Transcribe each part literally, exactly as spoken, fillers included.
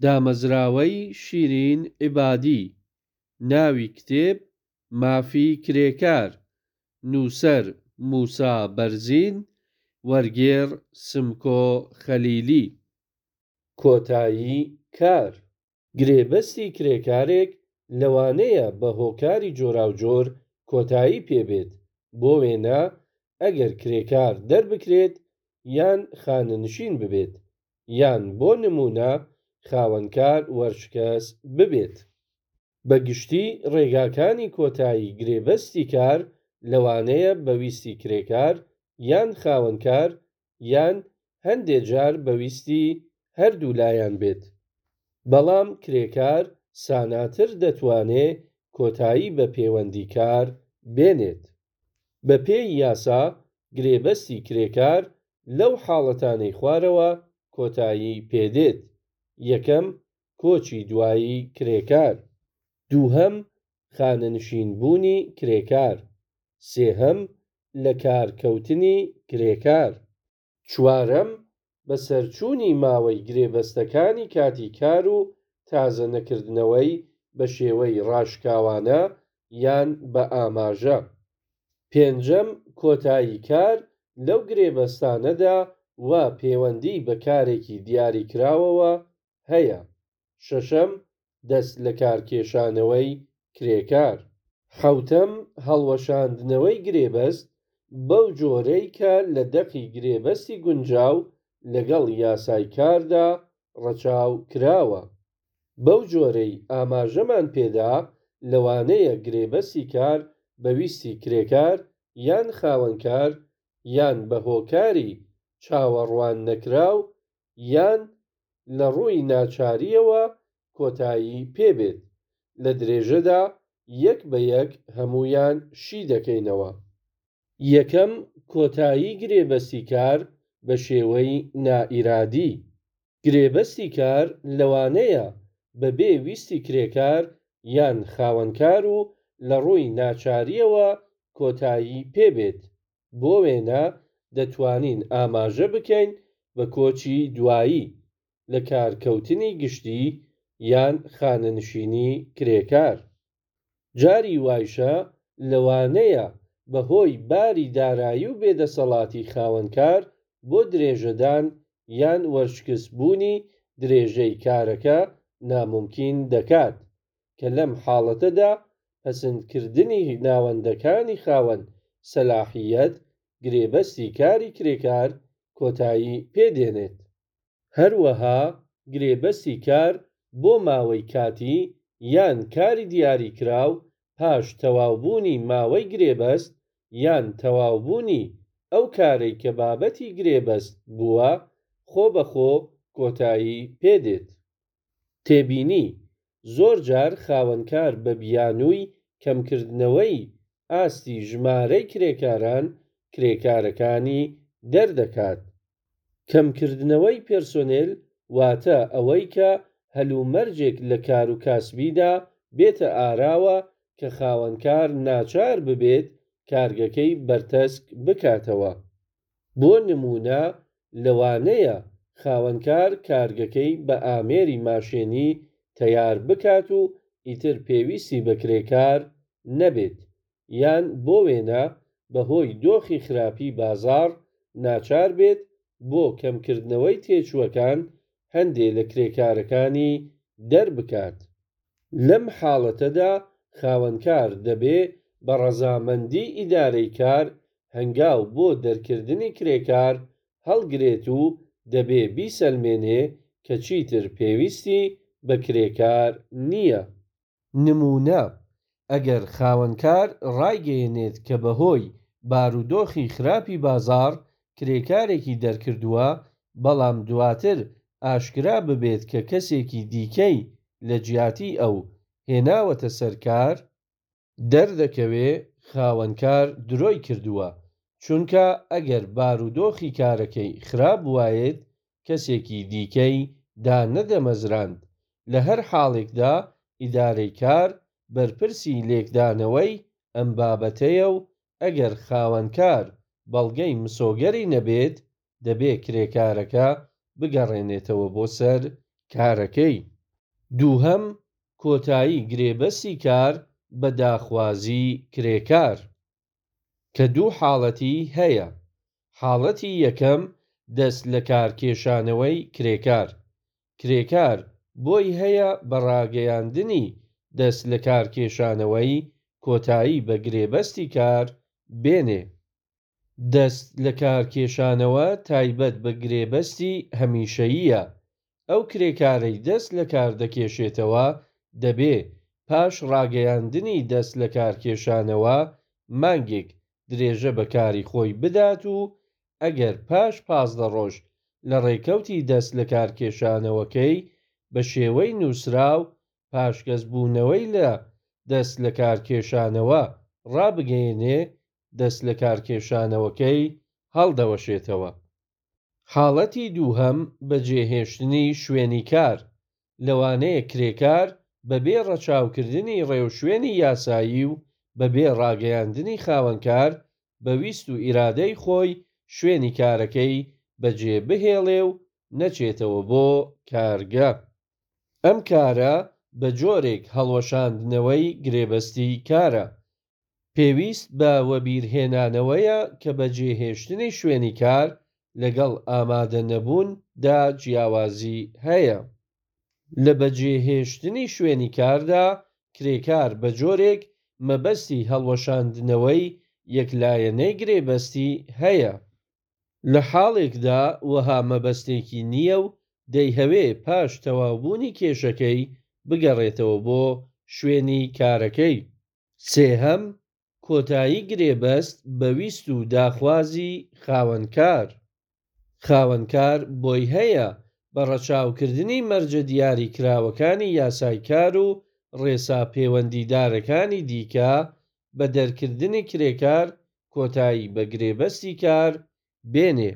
دامەزراوەی شیرین عیبادی. ناوی کتێب: مافی کرێکار. نووسەر: موسا بەرزین. وەرگێڕ: سمکۆ خەلیلی. کۆتایی کار. گرێبەستی کرێکارێک لەوانەیە بە هۆکاری جۆراوجۆر کۆتایی پێ بێت، بۆ وێنە ئەگەر کرێکار دەربکرێت یان خانەنشین ببێت، یان بۆ نموونە خاوەنکار وەرشکەست ببێت. بە گشتی ڕێگاکانی کۆتایی گرێبەستی کار لەوانەیە بە ویستی کرێکار یان خاوەنکار یان هەندێ جار بە ویستی هەردوو لایان بێت. بەڵام کرێکار ساناتر دەتوانێ کۆتایی بە پێوەندی کار بێنێت. بە پێی یاسا گرێبەستی کرێکار لەو حاڵەتانەی خوارەوە کۆتایی پێ دێت: یەکەم، کۆچی دوایی کرێکار. دووهەم، خانەنشین بوونی کرێکار. سێهەم، لەکارکەوتنی کرێکار. چوارەم، بەسەرچوونی ماوەی گرێبەستەکانی کاتی کار و تازە نەکردنەوەی بە شێوەی ڕاشکاوانە یان بە ئاماژە. پێنجەم، کۆتایی کار لەو گرێبەستانەدا وا پێوەندی بە کارێکی دیاریکراوەوە هەیە. شەشەم، دەست لەکارکێشانەوەی کرێکار. حەوتەم، هەڵوەشاندنەوەی گرێبەست بەو جۆرەی کە لە دەقی گرێبەستی گونجاو لەگەڵ یاسای کاردا ڕەچاو کراوە. بەو جۆرەی ئاماژەمان پێ دا لەوانەیە گرێبەستی کار بە ویستی کرێکار یان خاوەنکار یان بە هۆکاری چاوەڕواننەکراو یان لە ڕووی ناچارییەوە کۆتایی پێ بێت. لە درێژەدا یەک بە یەک هەموویان شی دەکەینەوە. یەکەم، کۆتایی گرێبەستی کار بە شێوەی نائیرادی. گرێبەستی کار لەوانەیە بە بێ ویستی کرێکار یان خاوەنکار و لە ڕووی ناچارییەوە کۆتایی پێ بێت. بۆ وێنە دەتوانین ئاماژە بکەین بە کۆچی دوایی، لەکارکەوتنی گشتی، یان خانەنشینی کرێکار. جاری وایشە لەوانەیە بە هۆی باری دارایی و بێدەسەڵاتی خاوەنکار بۆ درێژەدان یان وەرشکستبوونی درێژەی کارەکە نامومکین دەکات، کە لەم حاڵەتەدا پەسندکردنی ناوەندەکانی خاوەن سەلاحیەت گرێبەستی کاری کرێکار کۆتایی پێ دێنێت. هەروەها گرێبەستی کار بۆ ماوەی کاتی یان کاری دیاریکراو پاش تەواوبوونی ماوەی گرێبەست یان تەواوبوونی ئەو کارەی کە بابەتی گرێبەست بووە خۆبەخۆ کۆتایی پێ دێت. تێبینی: زۆر جار خاوەنکار بە بیانووی کەمکردنەوەی ئاستی ژمارەی کرێکاران کرێکارەکانی دەردەکات. کەمکردنەوەی پێرسۆنێل واتە ئەوەی کە هەلومەرجێک لە کاروکاسبیدا بێتە ئاراوە کە خاوەنکار ناچار ببێت کارگەکەی بەرتەسک بکاتەوە. بۆ نموونە لەوانەیە خاوەنکار کارگەکەی بە ئامێری ماشێنی تەیار بکات و ئیتر پێویستی بە کرێکار نەبێت، یان بۆ وێنە بە هۆی دۆخی خراپی بازاڕ ناچار بێت بۆ کەمکردنەوەی تێچووەکان هەندێ لە کرێکارەکانی دەربکات. لەم حاڵەتەدا خاوەنکار دەبێ بە ڕەزامەندیی ئیدارەی کار هەنگاو بۆ دەرکردنی کرێکار هەڵگرێت و دەبێ بیسەلمێنێ کە چیتر پێویستی بە کرێکار نییە. نموونە، ئەگەر خاوەنکار ڕایگەیەنێت کە بە هۆی بارودۆخی خراپی بازاڕ کرێکارێکی دەرکردووە، بەڵام دواتر ئاشکرا ببێت کە کەسێکی دیکەی لە جیاتی ئەو هێناوەتە سەر کار، دەردەکەوێ خاوەنکار درۆی کردووە، چونکە ئەگەر بارودۆخی کارەکەی خراپ بوایێت کەسێکی دیکەی دانەدەمەزراند. لە هەر حاڵێکدا ئیدارەی کار بەرپرسی لێکدانەوەی ئەم بابەتەیە و ئەگەر خاوەنکار بەڵگەی مسۆگەری نەبێت، دەبێ کرێکارەکە بگەڕێنێتەوە بۆ سەر کارەکەی. دووهەم، کۆتایی گرێبەستی کار بە داخوازی کرێکار، کە دوو حاڵەتی هەیە. حاڵەتی یەکەم، دەست لەکارکێشانەوەی کرێکار. کرێکار بۆی هەیە بە ڕاگەیاندنی دەست لەکارکێشانەوەی کۆتایی بە گرێبەستی کار بێنێ. دەست لەکارکێشانەوە تایبەت بە گرێبەستی هەمیشەییە. ئەو کرێکارەی دەست لەکار دەکێشێتەوە دەبێ پاش ڕاگەیاندنی دەست لەکارکێشانەوە مانگێک درێژە بە کاری خۆی بدات و ئەگەر پاش پازدە ڕۆژ لە ڕێکەوتی دەست لەکارکێشانەوەکەی بە شێوەی نووسراو پاشگەزبوونەوەی لە دەست لەکارکێشانەوە ڕابگەیەنێ، دەست لەکارکێشانەوەکەی هەڵدەوەشێتەوە. حاڵەتی دووهەم، بەجێهێشتنی شوێنی کار. لەوانەیە کرێکار بەبێ ڕەچاوکردنی ڕێوشوێنی یاسایی و بەبێ ڕاگەیاندنی خاوەنکار، بە ویست و ئیرادەی خۆی شوێنی کارەکەی بەجێ بهێڵێ و نەچێتەوە بۆ کارگە. ئەم کارە بە جۆرێک هەڵوەشاندنەوەی گرێبەستی کارە. پێویست بە وەبیرهێنانەوەیە کە بەجێهێشتنی شوێنی کار لەگەڵ ئامادە نەبوون دا جیاوازی هەیە. لە بەجێهێشتنی شوێنی کاردا، کرێکار بە جۆرێک مەبەستی هەڵوەشاندنەوەی یەکلایەنەی گرێبەستی هەیە، لە حاڵێکدا وەها مەبەستێکی نییە و دەیهەوێ پاش تەواوبوونی کێشەکەی بگەڕێتەوە بۆ شوێنی کارەکەی. سێهەم، کۆتایی گرێبەست بە ویست و داخوازی خاوەنکار. خاوەنکار بۆی هەیە بە ڕەچاوکردنی مەرجە دیاریکراوەکانی یاسای کار و ڕێسا پێوەندیدارەکانی دیکە، بە دەرکردنی کرێکار کۆتایی بە گرێبەستی کار بێنێ.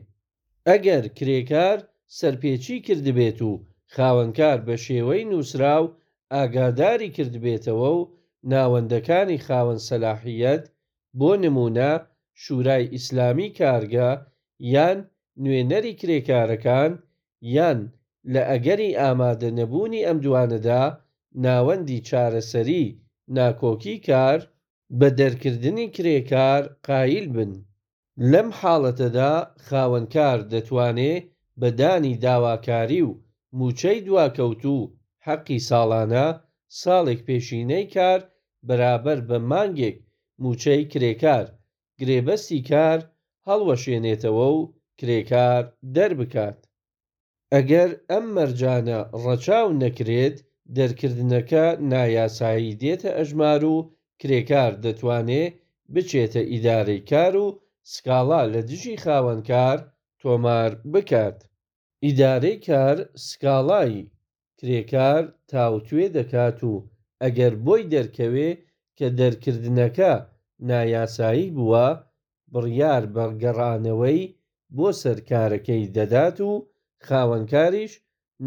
ئەگەر کرێکار سەرپێچی کردبێت و خاوەنکار بە شێوەی نووسراو ئاگاداری کردبێتەوە و ناوەندەکانی خاوەن سەلاحییەت، بۆ نموونە شوورای ئیسلامیی کارگە یان نوێنەری کرێکارەکان، یان لە ئەگەری ئامادە نەبوونی ئەم دوانەدا ناوەندی چارەسەریی ناکۆکیی کار، بە دەرکردنی کرێکار قایل بن. لەم حاڵەتەدا خاوەنکار دەتوانێ بە دانی داواکاری و مووچەی دواکەوتوو و حەقی ساڵانە، ساڵێک پێشینەی کار بەرابەر بە مانگێک مووچەی کرێکار، گرێبەستی کار هەڵوەشێنێتەوە و کرێکار دەربکات. ئەگەر ئەم مەرجانە ڕەچاو نەکرێت، دەرکردنەکە نایاسایی دێتە ئەژمار و کرێکار دەتوانێ بچێتە ئیدارەی کار و سکاڵا لە دژی خاوەنکار تۆمار بکات. ئیدارەی کار سکاڵای کرێکار تاوتوێ دەکات و ئەگەر بۆی دەرکەوێ کە دەرکردنەکە نایاسایی بووە، بڕیار بە گەڕانەوەی بۆ سەر کارەکەی دەدات و خاوەنکاریش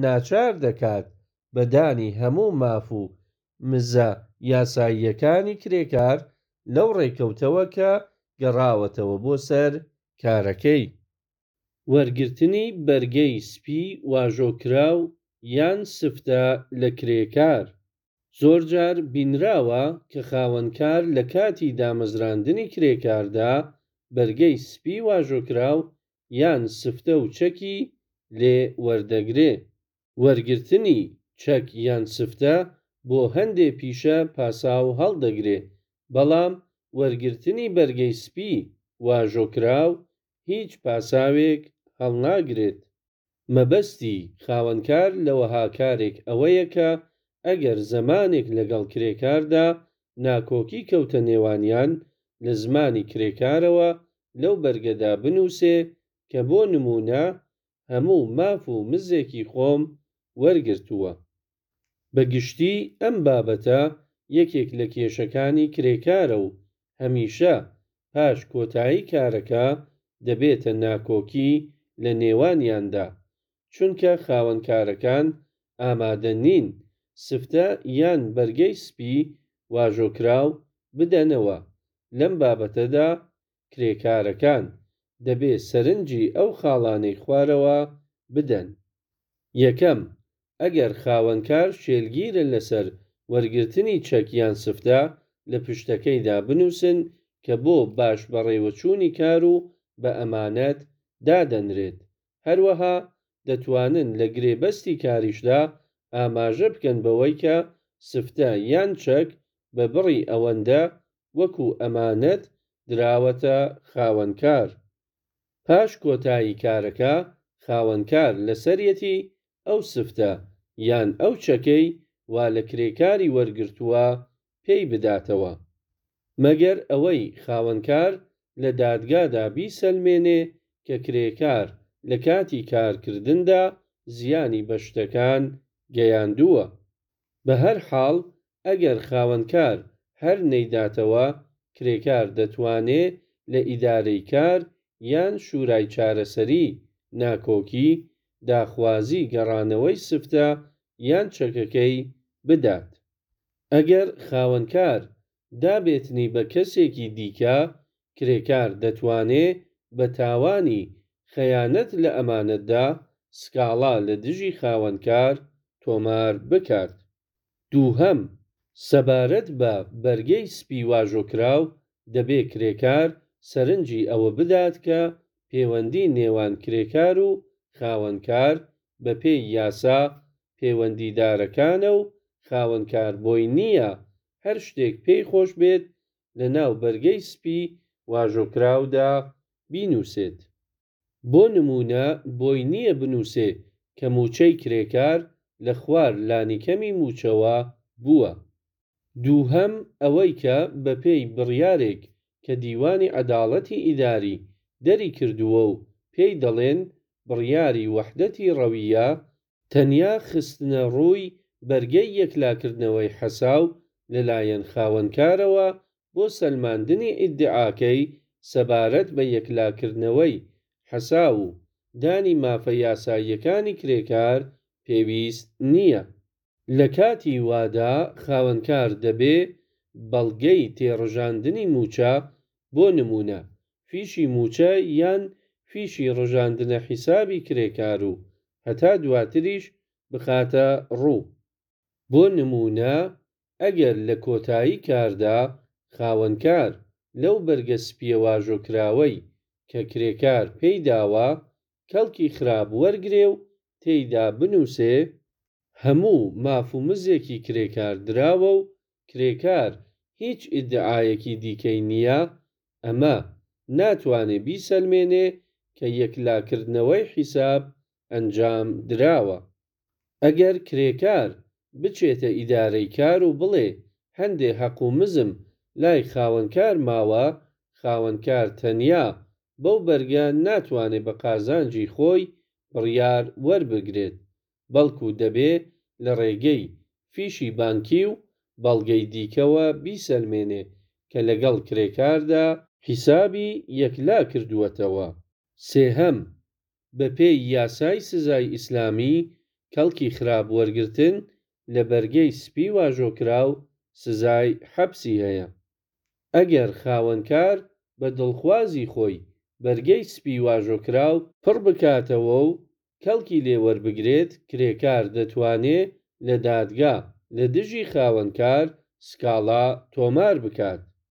ناچار دەکات بە دانی هەموو ماف و مزە یاساییەکانی کرێکار لەو ڕێکەوتەوە کە گەڕاوەتەوە بۆ سەر کارەکەی. وەرگرتنی بەرگەی سپی واژۆکراو یان سفتە لە کرێکار. زۆر جار بینراوە کە خاوەنکار لە کاتی دامەزراندنی کرێکاردا بەرگەی سپی واژۆکراو یان سفتە و چەکی لێ وەردەگرێ. وەرگرتنی چەک یان سفتە بۆ هەندێ پیشە پاساو هەڵدەگرێ، بەڵام وەرگرتنی بەرگەی سپی واژۆکراو هیچ پاساوێک هەڵناگرێت. مەبەستی خاوەنکار لە وەها کارێک ئەوەیە کە ئەگەر زەمانێک لەگەڵ کرێکاردا ناکۆکی کەوتە نێوانیان، لە زمانی کرێکارەوە لەو بەرگەدا بنووسێ کە بۆ نموونە هەموو ماف و مزێکی خۆم وەرگرتووە. بە گشتی ئەم بابەتە یەکێک لە کێشەکانی کرێکارە و هەمیشە پاش کۆتایی کارەکە دەبێتە ناکۆکی لە نێوانیاندا، چونکە خاوەنکارەکان ئامادە نین سفتە یان بەرگەی سپی واژۆکراو بدەنەوە. لەم بابەتەدا کرێکارەکان دەبێ سەرنجی ئەو خاڵانەی خوارەوە بدەن. یەکەم، ئەگەر خاوەنکار شێلگیرە لەسەر وەرگرتنی چەک یان سفتە، لە پشتەکەیدا بنووسن کە بۆ باش بەڕێوەچوونی کار و بە ئەمانەت دادەنرێت. هەروەها دەتوانن لە گرێبەستی کاریشدا ئاماژە بکەن بەوەی کە سفتە یان چەک بە بڕی ئەوەندە وەکو ئەمانەت دراوەتە خاوەنکار. پاش کۆتایی کارەکە خاوەنکار لەسەریەتی ئەو سفتە یان ئەو چەکەی وا لە کرێکاری وەرگرتووە پێی بداتەوە. مەگەر ئەوەی خاوەنکار لە دادگادا بیسەلمێنێ کە کرێکار لە کاتی کارکردندا زیانی بە شتەکان گەیاندووە. بەهەرحاڵ ئەگەر خاوەنکار هەر نەیداتەوە، کرێکار دەتوانێ لە ئیدارەی کار یان شورای چارەسەری ناکۆکی، داخوازی گەڕانەوەی سفتە یان چەکەکەی بدات. ئەگەر خاوەنکار دابێتنی بە کەسێکی دیکە، کرێکار دەتوانێ بە تاوانی خەیانەت لە ئەمانەتدا سکاڵا لە دژی خاوەنکار تۆمار بکات. دووهەم، سەبارەت بە بەرگەی سپی واژۆکراو، دەبێ کرێکار سەرنجی ئەوە بدات کە پێوەندی نێوان کرێکار و خاوەنکار بەپێی یاسا پێوەندیدارەکانە و خاوەنکار بۆی نییە هەر شتێک پێی خۆش بێت لەناو بەرگەی سپی واژۆکراودا بینووسێت. بۆ نموونە بۆی نییە بنووسێ کە مووچەی کرێکار لە خوار لانیکەمی مووچەوە بووە. دووهەم ئەوەی کە بەپێی بڕیارێک کە دیوانی عەداڵەتی ئیداری دەری کردووە و پێی دەڵێن بڕیاری وەحدەتی ڕەویە، تەنیا خستنە ڕووی بەرگەی یەکلاکردنەوەی حەساو لەلایەن خاوەنکارەوە بۆ سەلماندنی ئیدعاکەی سەبارەت بە یەکلاکردنەوەی حەساو و دانی مافە یاساییەکانی کرێکار پێویست نییە. لە کاتی وادا خاوەنکار دەبێ بەڵگەی تێڕژاندنی مووچە، بۆ نموونە فیشی مووچە یان فیشی ڕژاندنە حیسابی کرێکار و هەتا دواتریش بخاتە ڕوو. بۆ نموونە ئەگەر لە کۆتایی کاردا خاوەنکار لەو بەرگە سپییە واژۆکراوەی کە کرێکار پێی داوە کەڵکی خراپ وەرگرێ و تێیدا بنووسێ هەموو ماف و مزێکی کرێکار دراوە و کرێکار هیچ ئیدعایەکی دیکەی نییە، ئەمە ناتوانێ بیسەلمێنێ کە یەکلاکردنەوەی حیساب ئەنجام دراوە. ئەگەر کرێکار بچێتە ئیدارەی کار و بڵێ هەندێ هەق و مزم لای خاوەنکار ماوە، خاوەنکار تەنیا بەو بەرگە ناتوانێ بە قازانجی خۆی بڕیار وەربگرێت، بەڵکوو دەبێ لە ڕێگەی فیشی بانکی و بەڵگەی دیکەوە بیسەلمێنێ کە لەگەڵ کرێکاردا حیسابی یەکلا کردووەتەوە. سێهەم، بەپێی یاسای سزای ئیسلامی، کەڵکی خراپ وەرگرتن لە بەرگەی سپی واژۆکراو سزای حەبسی هەیە. ئەگەر خاوەنکار بە دڵخوازی خۆی بەرگەی سپی واژۆکراو پڕ بکاتەوە و کەڵکی لێ وەربگرێت، کرێکار دەتوانێ لە دادگا لە دژی خاوەنکار سکاڵا تۆمار بکات.